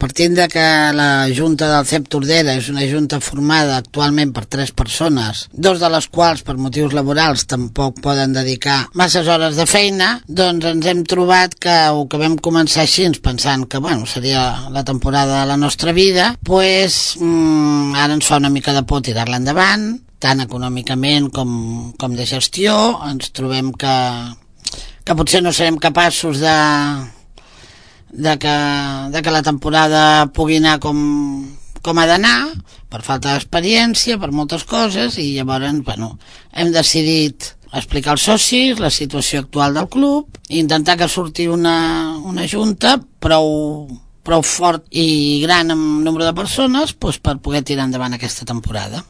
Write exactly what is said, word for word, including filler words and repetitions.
Partint de que la Junta del C E P Tordera és una junta formada actualment per tres persones, dos de les quals per motius laborals tampoc poden dedicar masses hores de feina, doncs ens hem trobat que, o que vam començar així pensant que bueno, seria la temporada de la nostra vida, pues, mmm, ara ens fa una mica de por tirar-la endavant, tant econòmicament com, com de gestió. Ens trobem que, que potser no serem capaços de de que, de que la temporada pugui anar com, com ha d'anar, per falta d'experiència, per moltes coses, i llavors, bueno, hem decidit explicar als socis la situació actual del club i intentar que surti una, una junta prou, prou fort i gran en nombre de persones, doncs, per poder tirar endavant aquesta temporada.